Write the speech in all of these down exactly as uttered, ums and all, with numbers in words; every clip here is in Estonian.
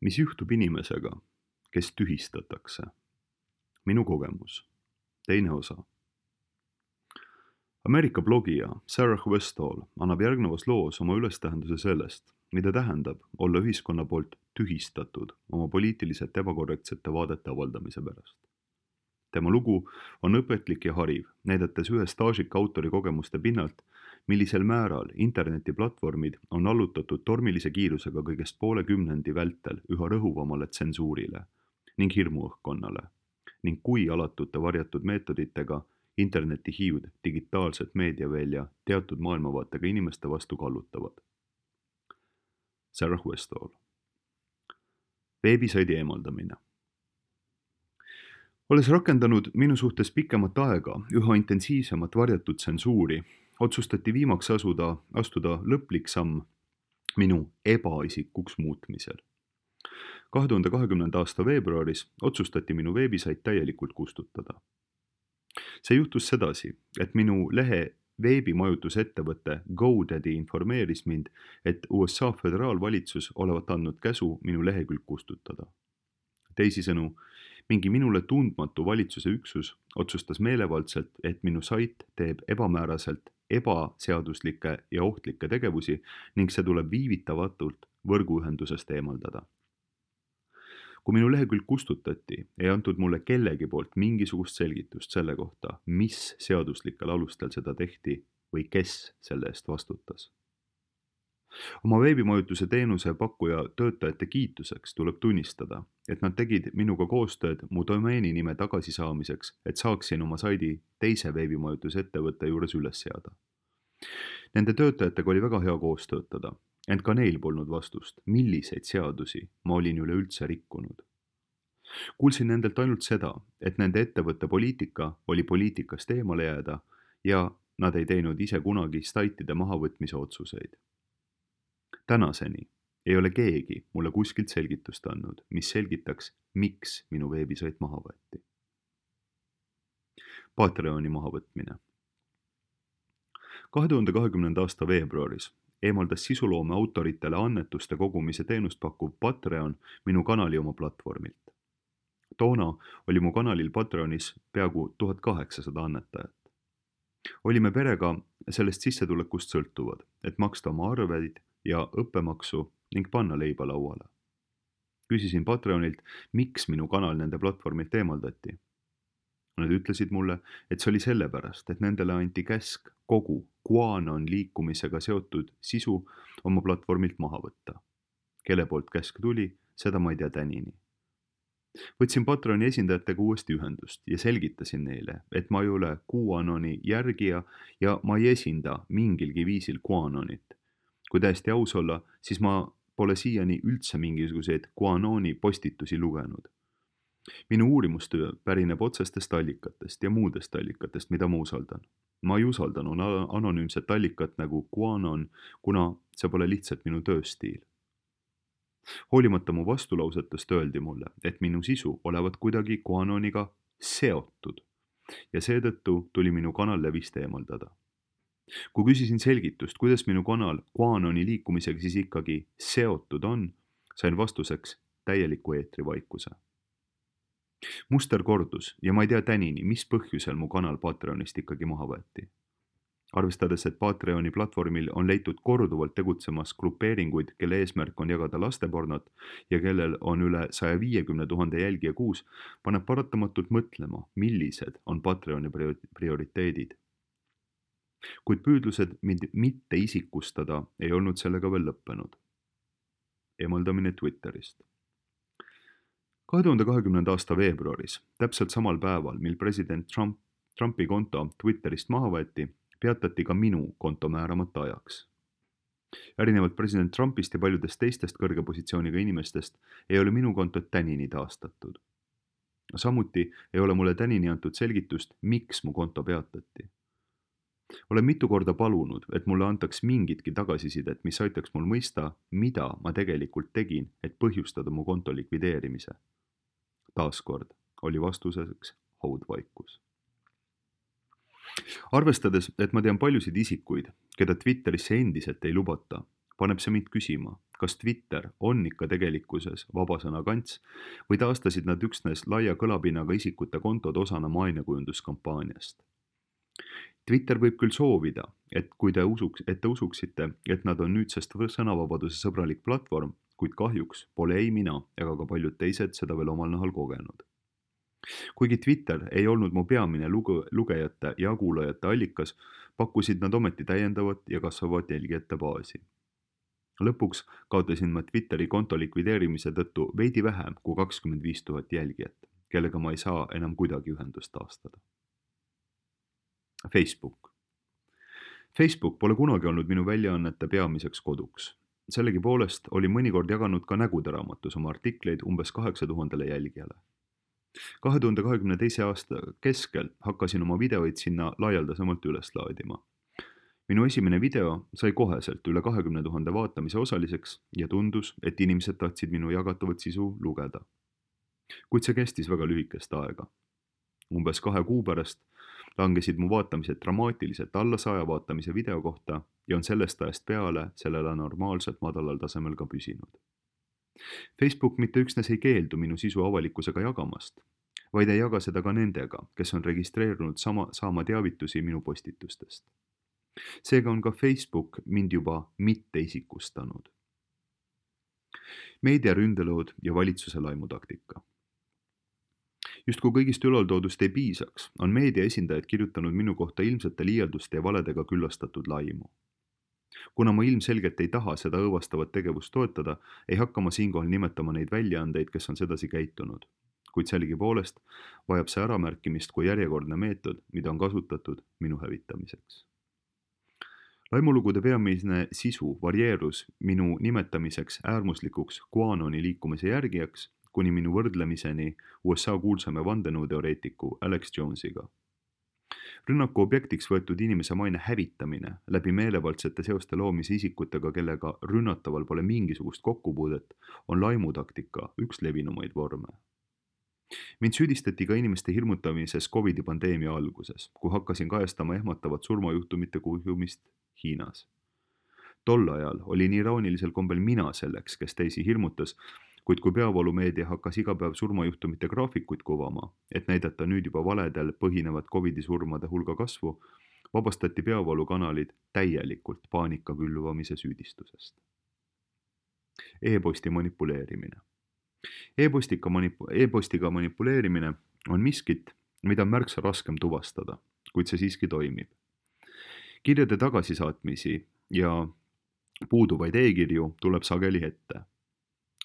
mis juhtub inimesega, kes tühistatakse? Minu kogemus. Teine osa. Ameerika blogija Sarah Westall annab järgnevas loos oma ülestähenduse sellest, mida tähendab olla ühiskonna poolt tühistatud oma poliitiliselt ebakorrektsete vaadete avaldamise pärast. Tema lugu on õpetlik ja hariv, näidates ühe staažika autori kogemuste pinnalt, millisel määral internetiplatvormid on allutatud tormilise kiirusega kõigest poole kümnendi vältel üha rõhuvamale tsensuurile ning hirmuõhkkonnale ning kui alatute varjatud meetoditega internetihiivd digitaalset meediavälja teatud maailmavaatega inimeste vastu kallutavad. Sarah Westall. Veebisaidi eemaldamine. Olles rakendanud minu suhtes pikemat aega üha intensiivsemat varjatud tsensuuri, otsustati viimaks asuda, astuda lõplik samm minu ebaisikuks muutmisel. kahe tuhande kahekümnenda aasta veebruaris otsustati minu veebisait täielikult kustutada. See juhtus sedasi, et minu lehe veebimajutusettevõte GoDaddy informeeris mind, et U S A föderaalvalitsus olevat andnud käsu minu lehekülg kustutada. Teisisõnu, mingi minule tundmatu valitsuse üksus otsustas meelevaldselt, et minu sait teeb ebamääraselt ebaseaduslikke ja ohtlikke tegevusi ning see tuleb viivitavatult võrguühendusest eemaldada. Kui minu lehekülg kustutati, ei antud mulle kellegi poolt mingisugust selgitust selle kohta, mis seaduslikel alustel seda tehti või kes selle eest vastutas. Oma veebimajutuse teenuse pakkuja töötajate kiituseks tuleb tunnistada, et nad tegid minuga koostööd mu domeeni nime tagasisaamiseks, et saaksin oma saidi teise veebimajutusettevõtte juures üles seada. Nende töötajatega oli väga hea koos töötada, ent ka neil polnud vastust, milliseid seadusi ma olin üleüldse rikkunud. Kuulsin nendelt ainult seda, et nende ettevõtte poliitika oli poliitikast eemale jääda ja nad ei teinud ise kunagi saitide mahavõtmise otsuseid. Tänaseni ei ole keegi mulle kuskilt selgitust andnud, mis selgitaks, miks minu veebisait maha võeti. Patreoni mahavõtmine. kahe tuhande kahekümnenda aasta veebruaris eemaldas sisuloome autoritele annetuste kogumise teenust pakkuv Patreon minu kanali oma platvormilt. Toona oli mu kanalil Patreonis peaaegu tuhat kaheksasada annetajat. Olime perega sellest sissetulekust sõltuvad, et maksta oma arveid ja õppemaksu ning panna leiba lauale. Küsisin Patreonilt, miks minu kanal nende platvormilt eemaldati. Nad ütlesid mulle, et see oli sellepärast, et nendele anti käsk kogu QAnon liikumisega seotud sisu oma platvormilt maha võtta. Kelle poolt käsk tuli, seda ma ei tea tänini. Võtsin Patreoni esindajatega uuesti ühendust ja selgitasin neile, et ma ei ole QAnoni järgija ja ma ei esinda mingilgi viisil QAnonit. Kui täiesti aus olla, siis ma pole siiani üldse mingisuguseid QAnoni postitusi lugenud. Minu uurimustöö pärineb otsestest allikatest ja muudest allikatest, mida ma usaldan. Ma ei usaldanud anonüümset allikat nagu QAnon, kuna see pole lihtsalt minu tööstiil. Hoolimata mu vastulausetest öeldi mulle, et minu sisu olevat kuidagi QAnoniga seotud ja seetõttu tuli minu kanal levist eemaldada. Kui küsisin selgitust, kuidas minu kanal QAnoni liikumisega siis ikkagi seotud on, sain vastuseks täieliku eetrivaikuse. Muster kordus ja ma ei tea tänini, mis põhjusel mu kanal Patreonist ikkagi maha võeti. Arvestades, et Patreoni platvormil on leitud korduvalt tegutsemas grupeeringuid, kelle eesmärk on jagada lastepornot ja kellel on üle saja viiekümne tuhande jälgija kuus, paneb paratamatult mõtlema, millised on Patreoni prioriteedid. Kuid püüdlused mind mitte isikustada ei olnud sellega veel lõppenud. Eemaldamine Twitterist. kahe tuhande kahekümnenda aasta veebruaris, täpselt samal päeval, mil president Trump, Trumpi konto Twitterist maha võeti, peatati ka minu konto määramata ajaks. Erinevalt president Trumpist ja paljudest teistest kõrge positsiooniga inimestest ei ole minu kontot tänini taastatud. Samuti ei ole mulle tänini antud selgitust, miks mu konto peatati. Olen mitu korda palunud, et mulle antaks mingitki tagasisidet, mis aitaks mul mõista, mida ma tegelikult tegin, et põhjustada mu konto likvideerimise. Taaskord oli vastuseks haudvaikus. Arvestades, et ma tean paljusid isikuid, keda Twitterisse endiselt ei lubata, paneb see mind küsima, kas Twitter on ikka tegelikkuses vabasõna kants või taastasid nad üksnes laia kõlapinnaga isikute kontod osana mainekujunduskampaaniast. Twitter võib küll soovida, et kui te usuks, et te usuksite, et nad on nüüdsest sõnavabaduse sõbralik platvorm, kuid kahjuks pole ei mina ega ka paljud teised seda veel omal nahal kogenud. Kuigi Twitter ei olnud mu peamine lugu, lugejate ja kuulajate allikas, pakkusid nad ometi täiendavat ja kasvavat jälgijate baasi. Lõpuks kaotasin ma Twitteri konto likvideerimise tõttu veidi vähem kui kakskümmend viis tuhat jälgijat, kellega ma ei saa enam kuidagi ühendust taastada. Facebook. Facebook pole kunagi olnud minu väljaannete peamiseks koduks. Sellegipoolest oli mõnikord jaganud ka Nägude raamatus oma artikleid umbes kaheksa tuhandele jälgijale. kahe tuhande kahekümne teise aasta keskel hakkasin oma videoid sinna laialdasemalt üles laadima. Minu esimene video sai koheselt üle kahekümne tuhande vaatamise osaliseks ja tundus, et inimesed tahtsid minu jagatavat sisu lugeda. Kuid see kestis väga lühikest aega. Umbes kahe kuu pärast langesid mu vaatamised dramaatiliselt alla saja vaatamise video kohta ja on sellest ajast peale sellele normaalselt madalal tasemel ka püsinud. Facebook mitte üksnes ei keeldu minu sisu avalikkusega jagamast, vaid ei jaga seda ka nendega, kes on registreerunud sama, saama teavitusi minu postitustest. Seega on ka Facebook mind juba mitte isikustanud. Meediaründelood ja valitsuse laimutaktika. Justkui kõigist ülaltoodust ei piisaks, on meedia esindajad kirjutanud minu kohta ilmsete liialduste ja valedega küllastatud laimu. Kuna ma ilmselgelt ei taha seda õõvastavat tegevust toetada, ei hakka ma siinkohal nimetama neid väljaandeid, kes on sedasi käitunud. Kuid sellegipoolest vajab see äramärkimist kui järjekordne meetod, mida on kasutatud minu hävitamiseks. Laimulugude peamine sisu varieerus minu nimetamiseks äärmuslikuks QAnoni liikumise järgijaks, kuni minu võrdlemiseni U S A kuulsame vandenõuteoreetiku Alex Jonesiga. Rünnaku objektiks võetud inimese maine hävitamine läbi meelevaldsete seoste loomise isikutega, kellega rünnataval pole mingisugust kokkupuudet, on laimutaktika üks levinumaid vorme. Mind süüdistati ka inimeste hirmutamises Covidi pandeemia alguses, kui hakkasin kajastama ehmatavat surmajuhtumite kuhjumist Hiinas. Tol ajal oli nii iroonilisel kombel mina selleks, kes teisi hirmutas, kuid kui peavoolumeedia hakkas iga päev surmajuhtumite graafikuid kuvama, et näidata nüüd juba valedel põhinevat Covidi surmade hulga kasvu, vabastati peavoolukanalid täielikult paanika külvamise süüdistusest. E-posti manipuleerimine. E-postika manipu- e-postiga manipuleerimine on miskit, mida on märksa raskem tuvastada, kuid see siiski toimib. Kirjade tagasisaatmisi ja puuduvaid e-kirju tuleb sageli ette.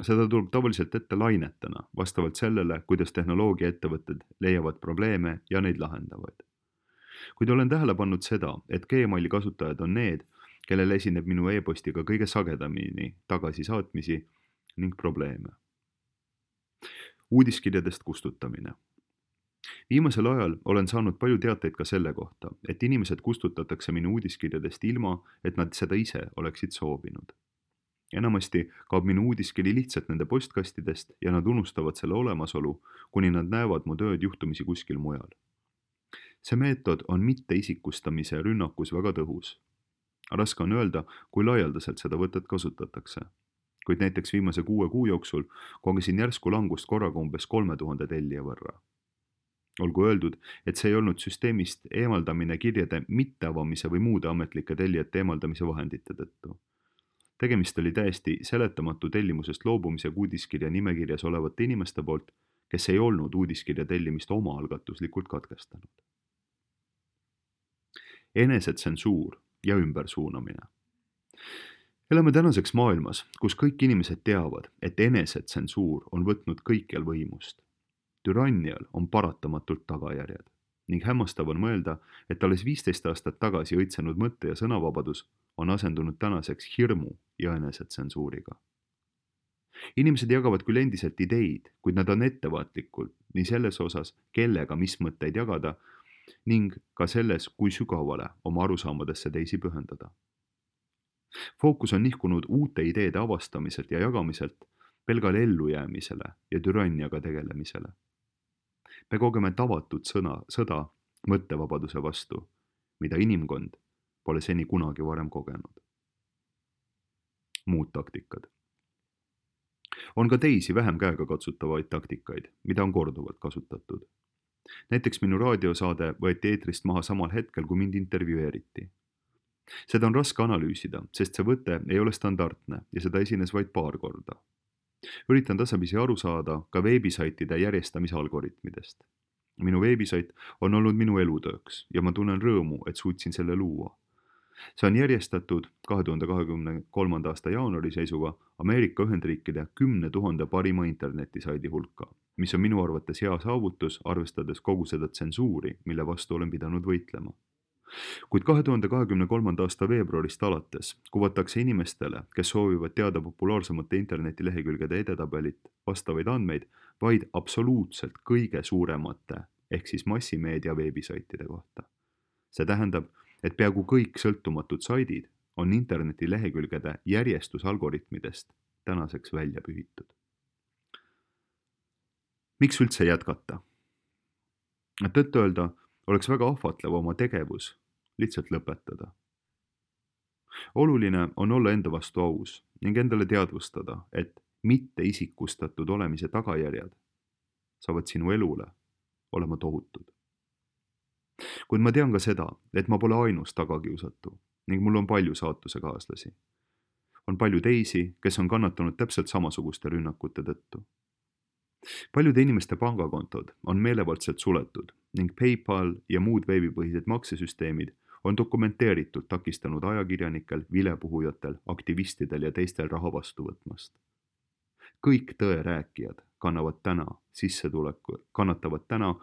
Seda tuleb tavaliselt ette lainetena, vastavalt sellele, kuidas tehnoloogiaettevõtted leiavad probleeme ja neid lahendavad. Kuid olen tähele pannud seda, et Gmaili kasutajad on need, kellel esineb minu e-postiga kõige sagedamini tagasisaatmisi ning probleeme. Uudiskirjadest kustutamine. Viimasel ajal olen saanud palju teateid ka selle kohta, et inimesed kustutatakse minu uudiskirjadest ilma, et nad seda ise oleksid soovinud. Enamasti kaob minu uudiskiri lihtsalt nende postkastidest ja nad unustavad selle olemasolu, kuni nad näevad mu tööd juhtumisi kuskil mujal. See meetod on mitte isikustamise rünnakus väga tõhus. Raske on öelda, kui laialdaselt seda võtet kasutatakse. Kuid näiteks viimase kuue kuu jooksul kogesin järsku langust korraga umbes kolme tuhande tellija võrra. Olgu öeldud, et see ei olnud süsteemist eemaldamine kirjade mitteavamise või muude ametlike tellijate eemaldamise vahendite tõttu. Tegemist oli täiesti seletamatu tellimusest loobumise uudiskirja nimekirjas olevate inimeste poolt, kes ei olnud uudiskirja tellimist omaalgatuslikult katkestanud. Enesetsensuur ja ümbersuunamine. Elame tänaseks maailmas, kus kõik inimesed teavad, et enesetsensuur on võtnud kõikjal võimust. Türannial on paratamatult tagajärjed ning hämmastav on mõelda, et alles viisteist aastat tagasi õitsenud mõtte- ja sõnavabadus on asendunud tänaseks hirmu ja enesetsensuuriga. Inimesed jagavad küll endiselt ideid, kuid nad on ettevaatlikud nii selles osas, kellega mis mõtteid jagada ning ka selles, kui sügavale oma arusaamadesse teisi pühendada. Fookus on nihkunud uute ideede avastamiselt ja jagamiselt pelgale ellujäämisele ja türanniaga tegelemisele. Me kogeme tavatud sõna, sõda mõttevabaduse vastu, mida inimkond pole seni kunagi varem kogenud. muud taktikad. On ka teisi vähem käegakatsutavaid taktikaid, mida on korduvalt kasutatud. Näiteks minu raadiosaade võeti eetrist maha samal hetkel, kui mind intervjueeriti. Seda on raske analüüsida, sest see võte ei ole standardne ja seda esines vaid paar korda. Üritan tasapisi aru saada ka veebisaitide järjestamise algoritmidest. Minu veebisait on olnud minu elutööks ja ma tunnen rõõmu, et suutsin selle luua. See on järjestatud kahe tuhande kahekümne kolmanda aasta jaanuari seisuga Ameerika Ühendriikide kümne tuhande parima internetisaidi hulka, mis on minu arvates hea saavutus, arvestades kogu seda tsensuuri, mille vastu olen pidanud võitlema. Kuid kahe tuhande kahekümne kolmanda aasta veebruarist alates kuvatakse inimestele, kes soovivad teada populaarsemate internetilehekülgede edetabelit vastavaid andmeid, vaid absoluutselt kõige suuremate ehk siis massimeedia veebisaitide kohta. See tähendab, et peaaegu kõik sõltumatud saidid on internetilehekülgede järjestusalgoritmidest tänaseks välja pühitud. Miks üldse jätkata? Tõtt öelda, oleks väga ahvatlev oma tegevus lihtsalt lõpetada. Oluline on olla enda vastu aus ning endale teadvustada, et mitte isikustatud olemise tagajärjed saavad sinu elule olema tohutud. Kuid ma tean ka seda, et ma pole ainus tagakiusatu ning mul on palju saatuse kaaslasi. On palju teisi, kes on kannatanud täpselt samasuguste rünnakute tõttu. Paljude inimeste pangakontod on meelevaldselt suletud ning PayPal ja muud veebipõhised maksesüsteemid on dokumenteeritult takistanud ajakirjanikel, vilepuhujatel, aktivistidel ja teistel raha vastu võtmast. Kõik tõe rääkijad kannavad täna sissetuleku, kannatavad täna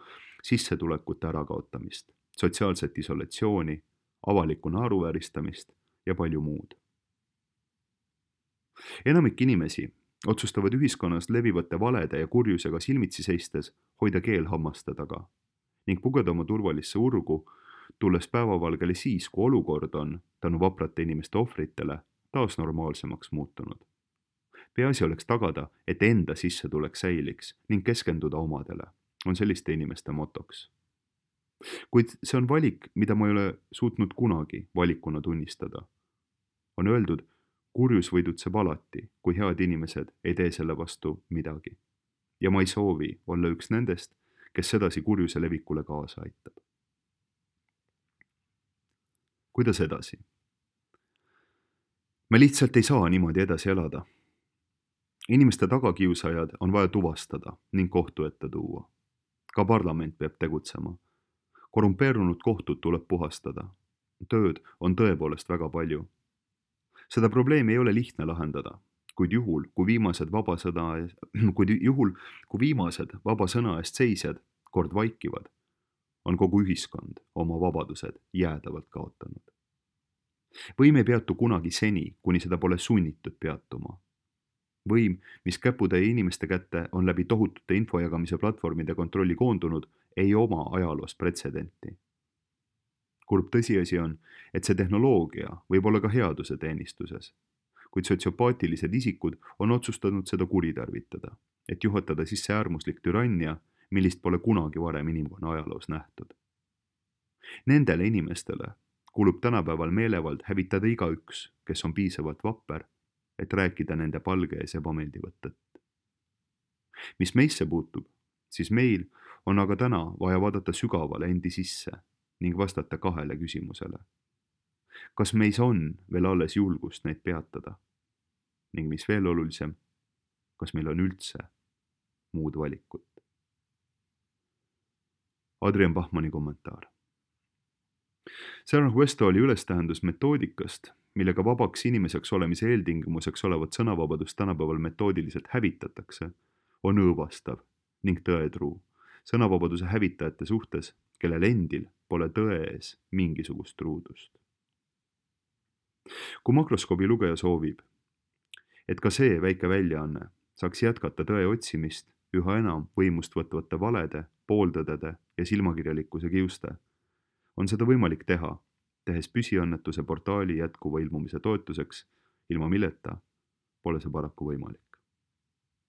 sissetulekute ärakaotamist, sotsiaalset isolatsiooni, avalikku naeruvääristamist ja palju muud. Enamik inimesi otsustavad ühiskonnas levivate valede ja kurjusega silmitsi seistes hoida keel hammaste taga ning pugeda oma turvalisse urgu, tulles päevavalgele siis, kui olukord on tänu vaprate inimeste ohvritele taas normaalsemaks muutunud. Peaasi oleks tagada, et enda sissetulek säiliks ning keskenduda omadele, on selliste inimeste motoks. Kuid see on valik, mida ma ei ole suutnud kunagi valikuna tunnistada. On öeldud, kurjus võidutseb alati, kui head inimesed ei tee selle vastu midagi. Ja ma ei soovi olla üks nendest, kes sedasi kurjuse levikule kaasa aitab. Kuidas edasi? Me lihtsalt ei saa niimoodi edasi elada. Inimeste tagakiusajad on vaja tuvastada ning kohtu ette tuua. Ka parlament peab tegutsema. Korrumpeerunud kohtud tuleb puhastada. Tööd on tõepoolest väga palju. Seda probleemi ei ole lihtne lahendada, kuid juhul, kui viimased vaba sõna, kuid juhul, kui viimased vaba sõna eest seisjad kord vaikivad, on kogu ühiskond oma vabadused jäädavalt kaotanud. Võim ei peatu kunagi seni, kuni seda pole sunnitud peatuma. Võim, mis käputäie inimeste kätte on läbi tohutute infojagamise platvormide kontrolli koondunud, ei oma ajaloos pretsedenti. Kurb tõsiasi on, et see tehnoloogia võib olla ka headuse teenistuses, kuid sotsiopaatilised isikud on otsustanud seda kuritarvitada, et juhatada sisse äärmuslik türannia, millist pole kunagi varem inimkonna ajaloos nähtud. Nendele inimestele kulub tänapäeval meelevald hävitada igaüks, kes on piisavalt vapper, et rääkida nende palge ees ebameeldivat tõtt. Mis meisse puutub, siis meil on aga täna vaja vaadata sügavale endi sisse ning vastata kahele küsimusele. Kas meis on veel alles julgust neid peatada? Ning mis veel olulisem, kas meil on üldse muud valikut? Adrian Bachmanni kommentaar. Sarah Westall'i ülestähendus metoodikast, millega vabaks inimeseks olemise eeltingimuseks olevat sõnavabadust tänapäeval metoodiliselt hävitatakse, on õõvastav ning tõetruu sõnavabaduse hävitajate suhtes, kellel endil pole tõe ees mingisugust truudust. Kui makroskoobi lugeja soovib, et ka see väike väljaanne saaks jätkata tõe otsimist üha enam võimust võtvate valede, pooldõdede ja silmakirjalikkuse kiuste, on seda võimalik teha, tehes püsiannetuse portaali jätkuva ilmumise toetuseks, ilma milleta pole see paraku võimalik.